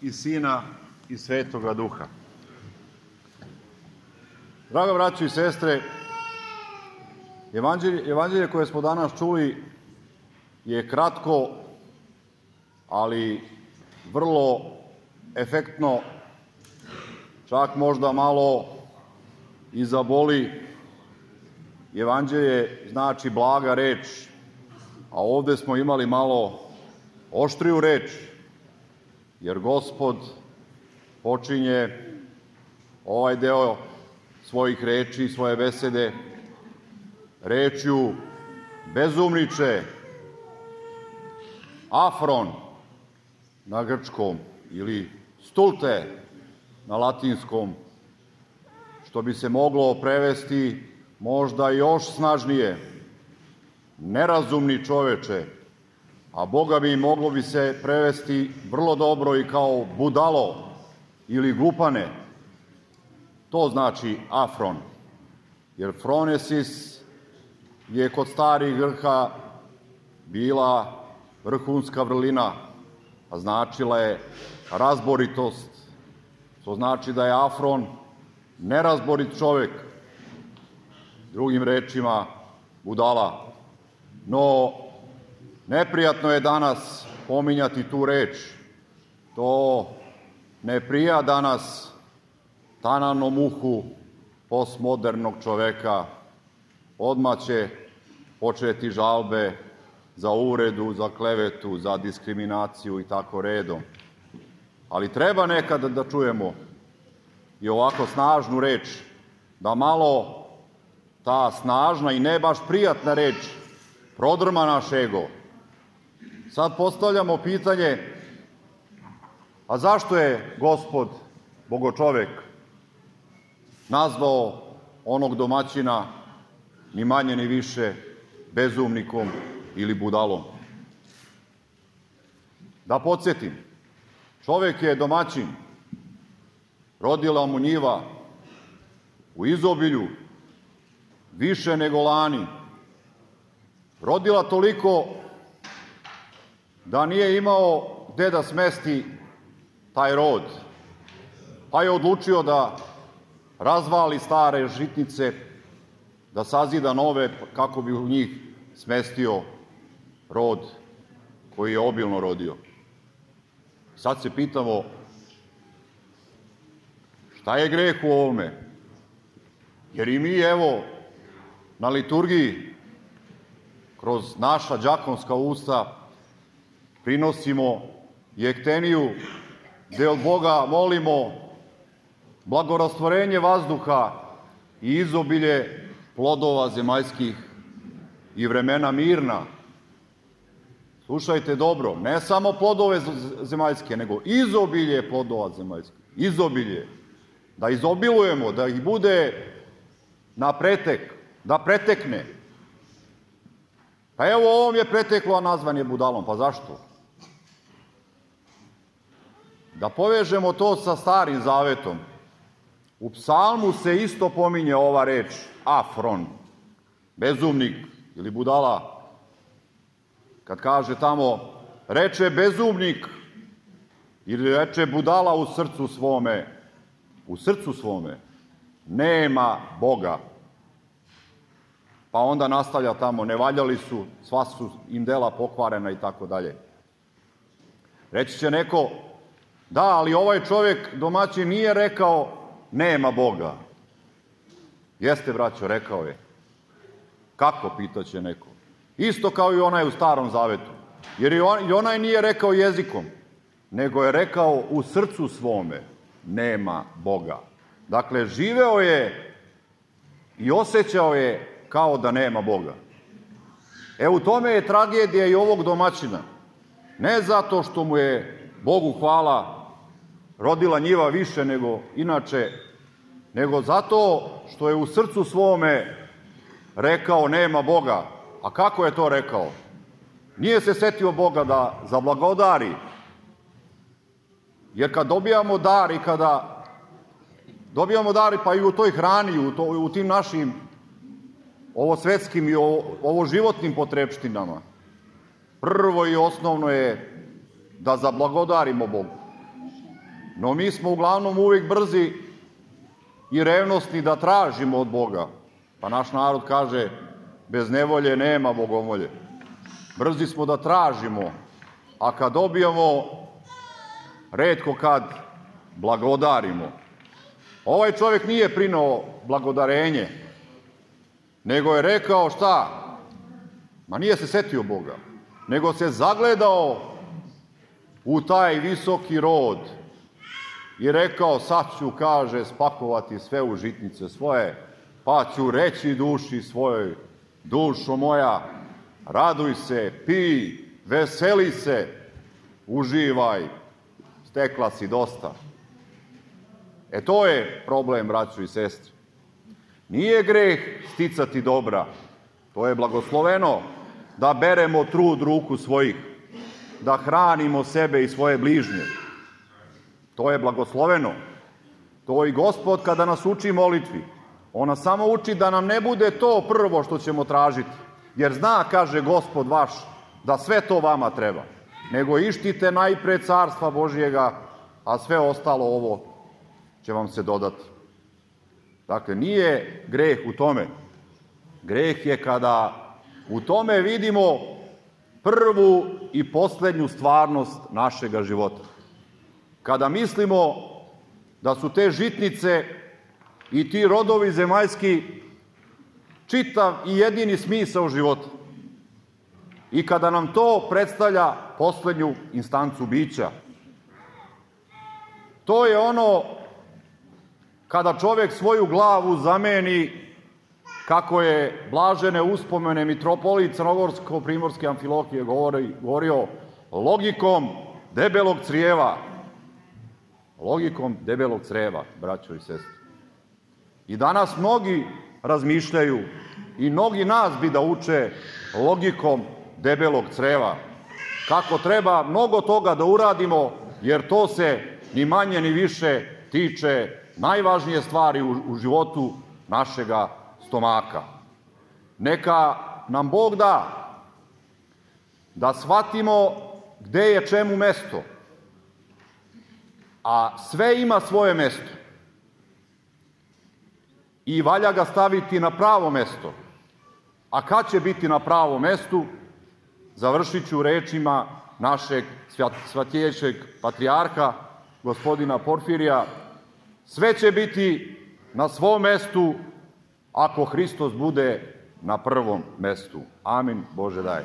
i Sina i Svetoga Duha. Draga braćo i sestre, evanđelje koje smo danas čuli je kratko, ali vrlo efektno, čak možda malo i zaboli. Evanđelje znači blaga reč, a ovde smo imali malo oštriju reč, jer Gospod počinje ovaj deo svojih reči, svoje besede, rečju bezumniče, afron na grčkom ili stulte na latinskom, što bi se moglo prevesti možda još snažnije, nerazumni čoveče, a Boga bi moglo bi se prevesti vrlo dobro i kao budalo ili glupane. To znači afron, jer phronesis je kod starih Grka bila vrhunska vrlina, a značila je razboritost, to znači da je afron nerazborit čovek, drugim rečima budala. No, neprijatno je danas pominjati tu reč. To ne prija danas tananom uhu postmodernog čoveka. Odmah će početi žalbe za uvredu, za klevetu, za diskriminaciju i tako redom. Ali treba nekada da čujemo i ovako snažnu reč, da malo ta snažna i ne baš prijatna reč prodrma naš ego. Sad postavljamo pitanje, a zašto je Gospod, Bogočovek, nazvao onog domaćina ni manje ni više bezumnikom ili budalom? Da podsjetim, čovek je domaćin, rodila mu njiva u izobilju, više nego lani, rodila toliko da nije imao gde da smesti taj rod, pa je odlučio da razvali stare žitnice, da sazida nove kako bi u njih smestio rod koji je obilno rodio. Sad se pitamo, šta je greh u ovome? Jer i mi, evo, na liturgiji, kroz naša đakonska usta, prinosimo jekteniju, gde od Boga molimo blagorastvorenje vazduha i izobilje plodova zemaljskih i vremena mirna. Slušajte dobro, ne samo plodove zemaljske, nego izobilje plodova zemaljskih. Izobilje. Da izobilujemo, da ih bude na pretek, da pretekne. Pa evo, ovom je preteklo, a nazvan je budalom. Pa zašto? Da povežemo to sa Starim Zavetom. U psalmu se isto pominje ova reč, afron, bezumnik ili budala. Kad kaže tamo, reče bezumnik ili reče budala u srcu svome, nema Boga. Pa onda nastavlja tamo, ne valjali su, sva su im dela pokvarena i tako dalje. Reći će neko, da, ali ovaj čovjek domaćin nije rekao nema Boga. Jeste, braćo, rekao je. Kako, pitaće neko. Isto kao i onaj u Starom Zavetu. Jer i onaj nije rekao jezikom, nego je rekao u srcu svome nema Boga. Dakle, živeo je i osjećao je kao da nema Boga. U tome je tragedija i ovog domaćina. Ne zato što mu je, Bogu hvala, rodila njiva više nego inače, nego zato što je u srcu svome rekao nema Boga. A kako je to rekao? Nije se setio Boga da zablagodari. Jer kad dobijamo dar i kada dobijamo dar pa i u toj hrani, u tim našim ovo svetskim i ovo životnim potrepštinama, prvo i osnovno je da zablagodarimo Bogu. No mi smo uglavnom uvijek brzi i revnosni da tražimo od Boga. Pa naš narod kaže, bez nevolje nema bogomolje. Brzi smo da tražimo, a kad dobijemo, retko kad blagodarimo. Ovaj čovjek nije prinao blagodarenje, nego je rekao šta? Ma nije se setio Boga, nego se zagledao u taj visoki rod i rekao, sad ću, kaže, spakovati sve u žitnice svoje, pa ću reći duši svojoj, dušo moja, raduj se, pij, veseli se, uživaj, stekla si dosta. To je problem, braćo i sestre. Nije greh sticati dobra, to je blagosloveno da beremo trud ruku svojih, da hranimo sebe i svoje bližnje. To je blagosloveno. To i Gospod kada nas uči molitvi, on nas samo uči da nam ne bude to prvo što ćemo tražiti, jer zna, kaže Gospod vaš, da sve to vama treba, nego ištite najpre carstva Božjega, a sve ostalo ovo će vam se dodati. Dakle, nije greh u tome. Greh je kada u tome vidimo prvu i posljednju stvarnost našega života. Kada mislimo da su te žitnice i ti rodovi zemaljski čitav i jedini smisao života. I kada nam to predstavlja posljednju instancu bića. To je ono kada čovjek svoju glavu zameni, kako je blažene uspomene mitropolit Crnogorsko-primorske Amfilohije govorio, logikom debelog crijeva. Logikom debelog crijeva, braćo i sestre. I danas mnogi razmišljaju i mnogi nas bi da uče logikom debelog crijeva. Kako treba mnogo toga da uradimo, jer to se ni manje ni više tiče najvažnije stvari u životu našega stomaka. Neka nam Bog da shvatimo gde je čemu mesto, a sve ima svoje mesto i valja ga staviti na pravo mesto. A kad će biti na pravom mestu, završit ću rečima našeg svatijećeg patrijarha, gospodina Porfirija, sve će biti na svom mestu ako Hristos bude na prvom mestu. Amin, Bože daj.